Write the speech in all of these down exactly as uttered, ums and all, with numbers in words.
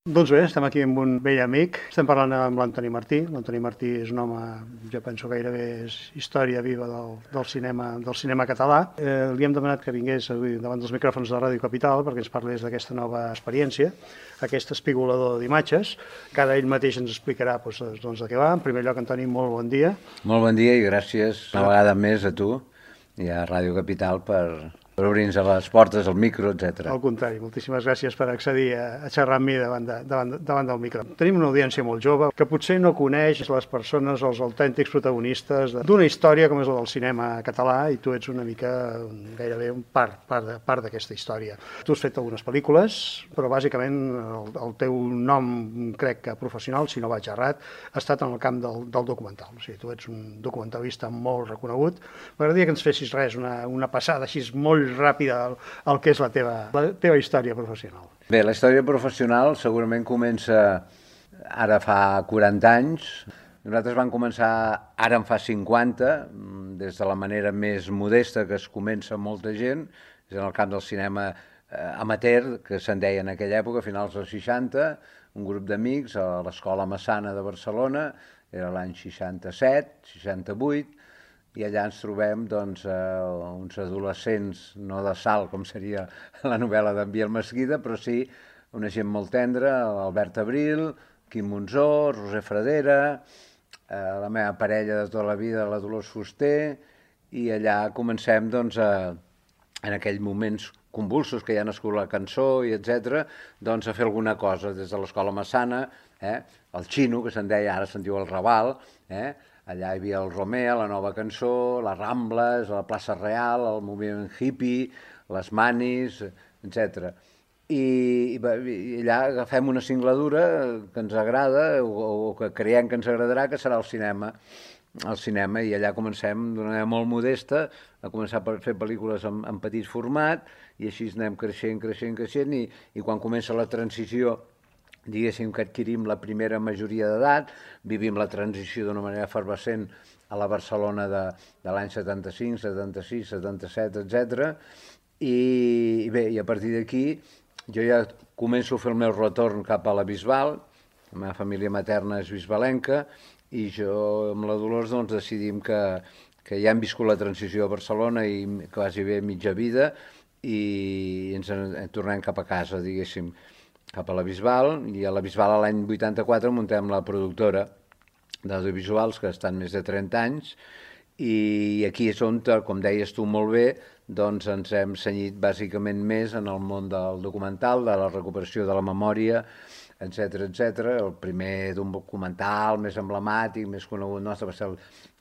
Doncs bé, estem aquí amb un vell amic. Estem parlant amb l'Antoni Martí. L'Antoni Martí és un home, jo penso gairebé és història viva del, del, cinema, del cinema català. Eh, li hem demanat que vingués avui davant dels micròfons de Ràdio Capital perquè ens parlés d'aquesta nova experiència, aquest espigolador d'imatges, que ara ell mateix ens explicarà doncs, doncs, de què va. En primer lloc, Antoni, molt bon dia. Molt bon dia i gràcies una vegada més a tu i a Ràdio Capital per... per obrir-nos a les portes, al micro, etcètera. Al contrari, moltíssimes gràcies per accedir a, a xerrar amb mi davant, de, davant, davant del micro. Tenim una audiència molt jove que potser no coneix les persones, els autèntics protagonistes d'una història com és la del cinema català, i tu ets una mica gairebé un part, part, de, part d'aquesta història. Tu has fet algunes pel·lícules, però bàsicament el, el teu nom, crec que professional, si no vaig errat, ha estat en el camp del, del documental. O sigui, tu ets un documentalista molt reconegut. M'agradaria que ens fessis res, una, una passada així molt ràpida al, al que és la teva, la teva història professional. Bé, la història professional segurament comença ara fa quaranta anys. Nosaltres vam començar ara en fa cinquanta, des de la manera més modesta que es comença molta gent, és en el camp del cinema eh, amateur, que se'n deia en aquella època, a finals dels seixanta, un grup d'amics a l'Escola Massana de Barcelona, era l'any seixanta-set, seixanta-vuit, i allà ens trobem doncs, eh, uns adolescents, no de sal, com seria la novel·la d'en Biel Mesquida, però sí una gent molt tendra, Albert Abril, Quim Monzó, Roser Fradera, eh, la meva parella de tota la vida, la Dolors Fuster, i allà comencem doncs, a, en aquells moments convulsos que ja ha nascut la cançó, i etcètera, doncs a fer alguna cosa des de l'Escola Massana, eh, el Xino, que se'n deia, ara se'n diu el Raval, eh, allà hi havia el Romea, la Nova Cançó, les Rambles, la plaça Real, el moviment hippie, les Manis, etcètera. I, i, I allà agafem una singladura que ens agrada o, o que creiem que ens agradarà, que serà el cinema. El cinema, i allà comencem d'una manera molt modesta a començar a fer pel·lícules en, en petit format, i així anem creixent, creixent, creixent, i, i quan comença la transició, diguéssim que adquirim la primera majoria d'edat, vivim la transició d'una manera efervescent a la Barcelona de, de l'any setanta-cinc, setanta-sis, setanta-set, etcètera. I, i bé, i a partir d'aquí jo ja començo a fer el meu retorn cap a la Bisbal, la meva família materna és bisbalenca, i jo amb la Dolors doncs, decidim que, que ja hem viscut la transició a Barcelona i quasi bé mitja vida, i ens en, en tornem cap a casa, diguéssim, cap a la Bisbal, i a la Bisbal l'any vuitanta-quatre muntem la productora d'audiovisuals, que estan més de trenta anys, i aquí és on, com deies tu molt bé, doncs ens hem cenyit bàsicament més en el món del documental, de la recuperació de la memòria, etcètera, etcètera. El primer d'un documental més emblemàtic, més conegut nostre, va ser el,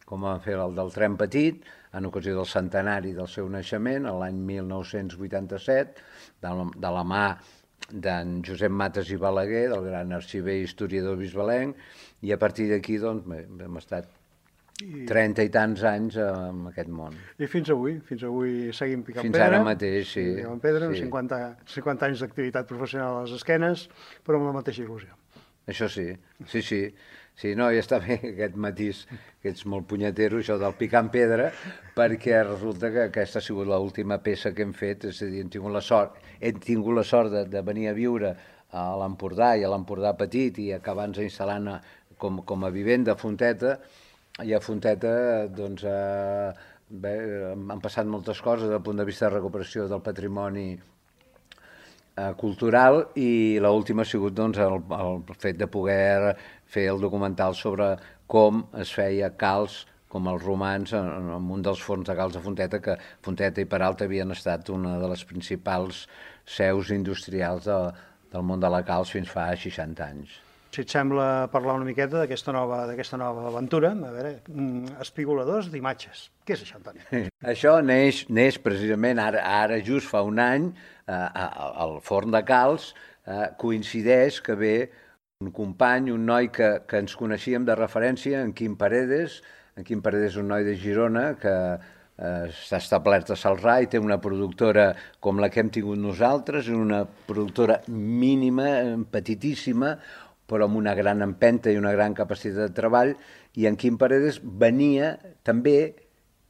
com vam fer el del Tren Petit, en ocasió del centenari del seu naixement, l'any mil nou-cents vuitanta-set, de la, de la mà d'en Josep Mates i Balaguer, del gran arxiver i historiador bisbalenc, i a partir d'aquí doncs, hem estat trenta i tants anys en aquest món. I fins avui, fins avui seguim picant fins pedra. Fins ara mateix, sí. Picant pedra, sí. cinquanta, cinquanta anys d'activitat professional a les esquenes, però amb la mateixa il·lusió. Això sí, sí, sí. Sí, no, ja està bé aquest matís, que ets molt punyetero, això del picar en pedra, perquè resulta que aquesta ha sigut l'última peça que hem fet, és a dir, hem tingut la sort, hem tingut la sort de, de venir a viure a l'Empordà i a l'Empordà Petit i acabar-nos instal·lant com, com a vivenda a Fonteta, i a Fonteta doncs, eh, bé, han passat moltes coses des del punt de vista de recuperació del patrimoni cultural, i l'última ha sigut doncs, el, el fet de poder fer el documental sobre com es feia calç, com els romans, en, en un dels forns de calç de Fonteta, que Fonteta i Peralta havien estat una de les principals seus industrials de, del món de la calç fins fa seixanta anys. Si et sembla parlar una miqueta d'aquesta nova, d'aquesta nova aventura, a veure, espigoladors d'imatges. Què és això, Antoni? Això neix, neix precisament ara, ara just fa un any, eh, al forn de calç, eh, coincideix que ve un company, un noi que, que ens coneixíem de referència, en Quim Paredes. En Quim Paredes és un noi de Girona que eh, està establert a Celrà i té una productora com la que hem tingut nosaltres, una productora mínima, petitíssima, però amb una gran empenta i una gran capacitat de treball, i en Quim Paredes venia també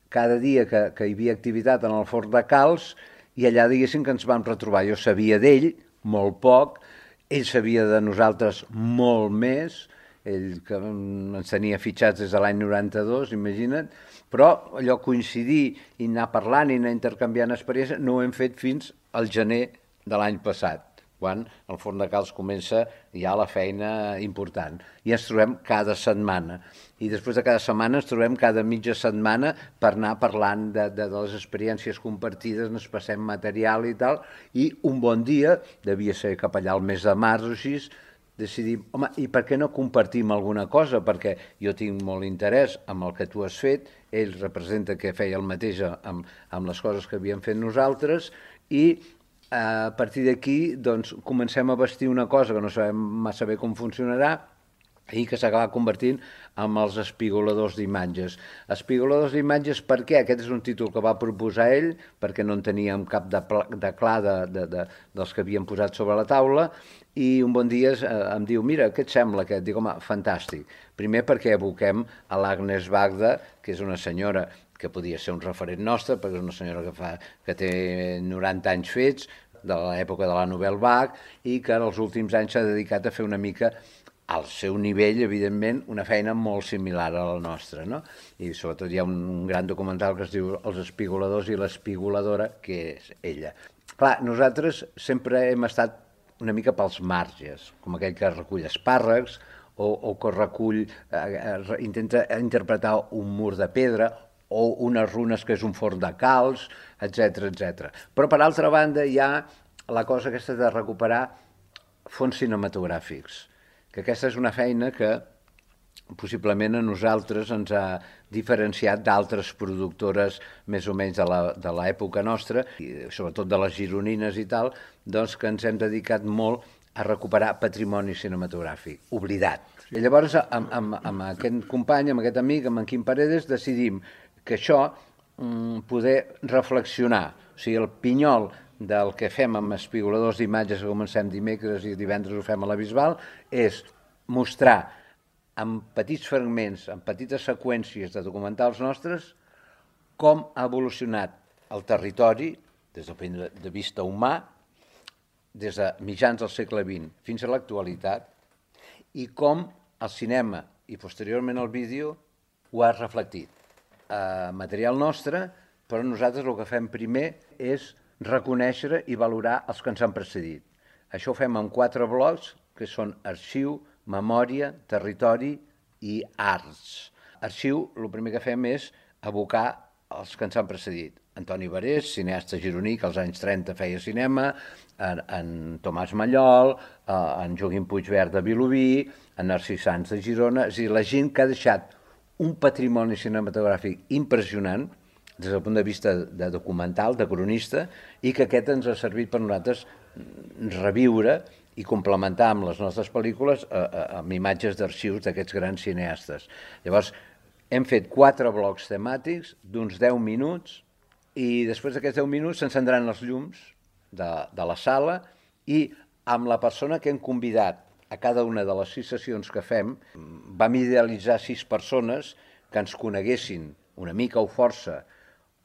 cada dia que, que hi havia activitat en el forn de calç, i allà diguéssim que ens vam retrobar. Jo sabia d'ell molt poc, ell sabia de nosaltres molt més, ell que ens tenia fitxats des de l'any noranta-dos, imagina't, però allò coincidir i anar parlant i anar intercanviant experiències no ho hem fet fins al gener de l'any passat, quan el Forn de Calç comença ja la feina important. I ens trobem cada setmana. I després de cada setmana ens trobem cada mitja setmana per anar parlant de, de, de les experiències compartides, ens passem material i tal, i un bon dia, devia ser cap allà al mes de març o així, decidim, home, i per què no compartim alguna cosa? Perquè jo tinc molt interès en el que tu has fet, ell representa que feia el mateix amb, amb les coses que havíem fet nosaltres, i a partir d'aquí doncs, comencem a vestir una cosa que no sabem massa bé com funcionarà i que s'acaba convertint en els espigoladors d'imatges. Espigoladors d'imatges per què? Aquest és un títol que va proposar ell, perquè no en teníem cap de, de clar de, de, de, dels que havíem posat sobre la taula, i un bon dia eh, em diu, mira, què et sembla aquest? Dic, home, fantàstic. Primer perquè evoquem a l'Agnes Bagda, que és una senyora que podia ser un referent nostre, perquè és una senyora que, fa, que té noranta anys fets, de l'època de la Nouvelle Vague, i que en els últims anys s'ha dedicat a fer una mica, al seu nivell, evidentment, una feina molt similar a la nostra, no? I sobretot hi ha un gran documental que es diu Els espigoladors i l'espigoladora, que és ella. Clar, nosaltres sempre hem estat una mica pels marges, com aquell que recull espàrrecs, o, o que recull, eh, intenta interpretar un mur de pedra, o unes runes que és un forn de calç, etcètera, etcètera. Però, per altra banda, hi ha la cosa aquesta de recuperar fons cinematogràfics, que aquesta és una feina que possiblement a nosaltres ens ha diferenciat d'altres productores més o menys de l'època nostra, i sobretot de les gironines i tal, doncs que ens hem dedicat molt a recuperar patrimoni cinematogràfic, oblidat. I llavors, amb, amb, amb aquest company, amb aquest amic, amb en Quim Paredes, decidim que això, mm, poder reflexionar. O sigui, el pinyol del que fem amb espigoladors d'imatges que comencem dimecres i divendres ho fem a la Bisbal, és mostrar en petits fragments, en petites seqüències de documentals nostres, com ha evolucionat el territori des del punt de vista humà, des de mitjans del segle vint fins a l'actualitat, i com el cinema i posteriorment el vídeo ho ha reflectit. Eh, material nostre, però nosaltres el que fem primer és reconèixer i valorar els que ens han precedit. Això ho fem en quatre blocs, que són arxiu, memòria, territori i arts. Arxiu, el primer que fem és evocar els que ens han precedit. Antoni Barés, cineasta gironí, que als anys trenta feia cinema, en, en Tomàs Mallol, en Joaquim Puigverd de Vilobí, en Narcís Sans de Girona, és a dir, la gent que ha deixat un patrimoni cinematogràfic impressionant, des del punt de vista de documental, de cronista, i que aquest ens ha servit per nosaltres reviure i complementar amb les nostres pel·lícules amb imatges d'arxius d'aquests grans cineastes. Llavors, hem fet quatre blocs temàtics d'uns deu minuts, i després d'aquests deu minuts s'encendran els llums de, de la sala, i amb la persona que hem convidat a cada una de les sis sessions que fem, vam idealitzar sis persones que ens coneguessin una mica o força,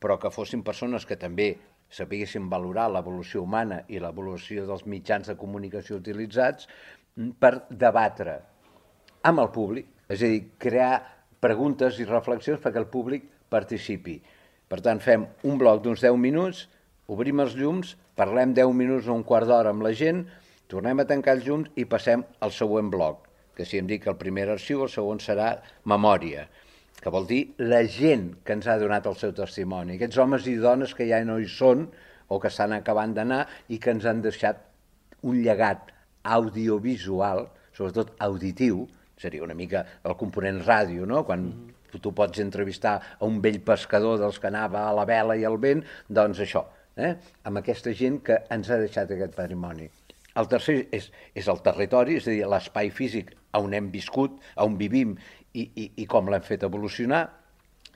però que fossin persones que també sapiguessin valorar l'evolució humana i l'evolució dels mitjans de comunicació utilitzats, per debatre amb el públic, és a dir, crear preguntes i reflexions perquè el públic participi. Per tant, fem un bloc d'uns deu minuts, obrim els llums, parlem deu minuts o un quart d'hora amb la gent, tornem a tancar els llums i passem al següent bloc, que si em dic el primer arxiu, el segon serà memòria, que vol dir la gent que ens ha donat el seu testimoni, aquests homes i dones que ja no hi són o que estan acabant d'anar i que ens han deixat un llegat audiovisual, sobretot auditiu, seria una mica el component ràdio, no? Quan mm-hmm. tu pots entrevistar a un vell pescador dels que anava a la vela i al vent, doncs això, eh? Amb aquesta gent que ens ha deixat aquest patrimoni. El tercer és, és el territori, és a dir, l'espai físic on hem viscut, on vivim i, i, i com l'hem fet evolucionar.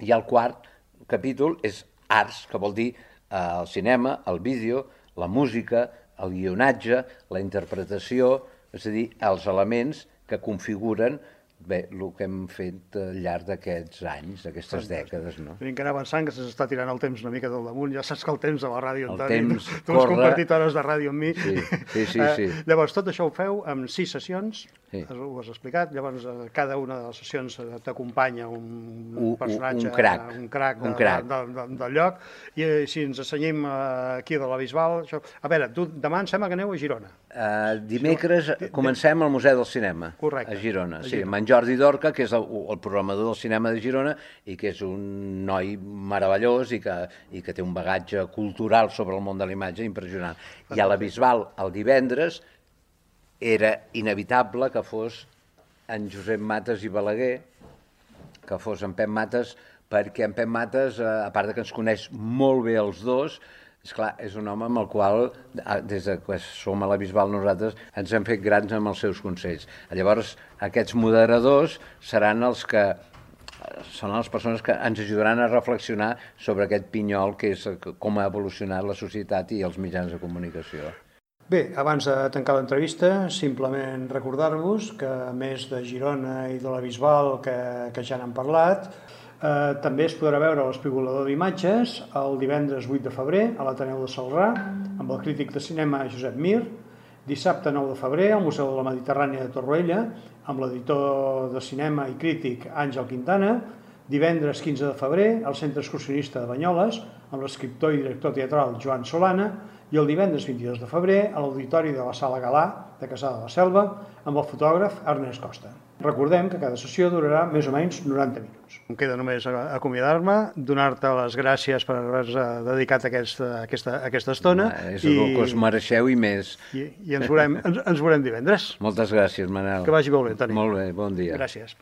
I el quart capítol és arts, que vol dir eh, el cinema, el vídeo, la música, el guionatge, la interpretació, és a dir, els elements que configuren bé, el que hem fet al llarg d'aquests anys, d'aquestes dècades, no? Tenim que anar avançant, que s'està tirant el temps una mica del damunt. Ja saps que el temps de la ràdio, El Antoni, temps tu has corre. compartit hores de ràdio amb mi. Sí, sí, sí, Eh, sí. Llavors, tot això ho feu amb sis sessions, Sí. ho has explicat. Llavors, eh, cada una de les sessions eh, t'acompanya un Un- personatge, un crac. un crac, de, Un crac. de, de, de, del lloc. I eh, si ens assenyim eh, aquí de la Bisbal... Això... A veure, tu demà em sembla que aneu a Girona. Uh, dimecres comencem al Museu del Cinema, Correcte. a Girona. A Sí, Girona. amb en Jordi Dorca, que és el, el programador del cinema de Girona i que és un noi meravellós i que, i que té un bagatge cultural sobre el món de la imatge impressionant. I a la Bisbal, el divendres, era inevitable que fos en Josep Mates i Balaguer, que fos en Pep Mates, perquè en Pep Mates, eh, a part de que ens coneix molt bé els dos, és clar, és un home amb el qual, eh, des de que som a la Bisbal nosaltres, ens hem fet grans amb els seus consells. Llavors, aquests moderadors seran els que són les persones que ens ajudaran a reflexionar sobre aquest pinyol que és com ha evolucionat la societat i els mitjans de comunicació. Bé, abans de tancar l'entrevista, simplement recordar-vos que a més de Girona i de la Bisbal, que, que ja n'han parlat, eh, també es podrà veure l'Espigolador d'imatges el divendres vuit de febrer a l'Ateneu de Celrà, amb el crític de cinema Josep Mir, dissabte nou de febrer al Museu de la Mediterrània de Torroella, amb l'editor de cinema i crític Àngel Quintana, divendres quinze de febrer al Centre Excursionista de Banyoles, amb l'escriptor i director teatral Joan Solana, i el divendres vint-i-dos de febrer a l'Auditori de la Sala Galà de Cassà de la Selva amb el fotògraf Ernest Costa. Recordem que cada sessió durarà més o menys noranta minuts. Em queda només acomiadar-me, donar-te les gràcies per haver-nos dedicat aquesta, aquesta, aquesta estona. Ah, és el que us mereixeu i més. I, i ens, veurem, ens, ens veurem divendres. Moltes gràcies, Manel. Que vagi molt bé, Toni. Molt bé, bon dia. Gràcies.